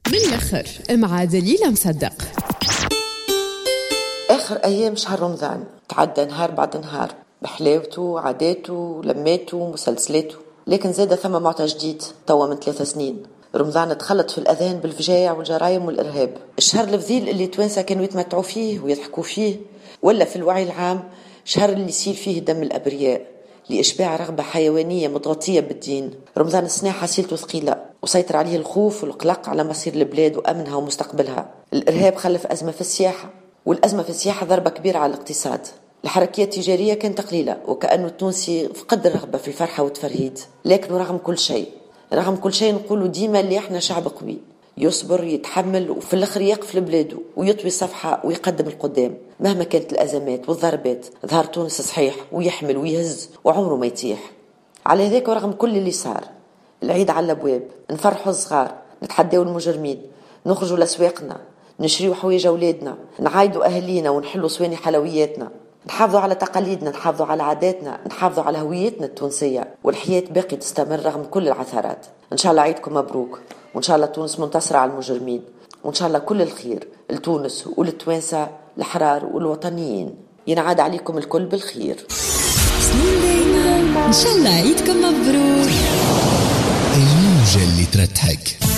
من الاخر مع دليلة مصدق. اخر ايام شهر رمضان تعدى نهار بعد نهار بحلاوته، عاداته، لماته، مسلسلاته، لكن زاد ثم معطى جديد توا من 3 سنين. رمضان تخلط في الأذهان بالفجايع والجرائم والإرهاب. الشهر الفضيل اللي توانسة كانوا يتمتعوا فيه ويضحكوا فيه، ولا في الوعي العام شهر اللي يسيل فيه دم الأبرياء لإشباع رغبة حيوانية متغطية بالدين. رمضان السنة حصيلته ثقيلة وسيطر عليه الخوف والقلق على مصير البلاد وأمنها ومستقبلها. الإرهاب خلف أزمة في السياحة، والأزمة في السياحة ضربة كبيرة على الاقتصاد. الحركية التجارية كانت قليلة، وكأنه التونسي فقد الرغبة في الفرحة والتفرهيد. لكن رغم كل شيء، رغم كل شيء نقولوا ديما اللي احنا شعب قوي، يصبر، يتحمل، وفي الاخر يقف لبلاده ويطوي الصفحة ويقدم القدام مهما كانت الأزمات والضربات. ظهر تونس صحيح ويحمل ويهز وعمره ما يتيح. على ذاك ورغم كل اللي صار، العيد على الابواب، نفرحوا الصغار، نتحداو المجرمين، نخرجوا لأسواقنا، نشريوا حوايج أولادنا، نعايدوا أهالينا ونحلوا صواني حلوياتنا، نحافظوا على تقاليدنا، نحافظوا على عاداتنا، نحافظوا على هويتنا التونسية، والحياة باقي تستمر رغم كل العثرات. إن شاء الله عيدكم مبروك، وإن شاء الله تونس منتصرة على المجرمين، وإن شاء الله كل الخير لتونس وللتوانسة الأحرار والوطنيين. ينعاد عليكم الكل بالخير. سنين دايما إن شاء الله عيدكم مبروك. الموجة اللي ترتحك.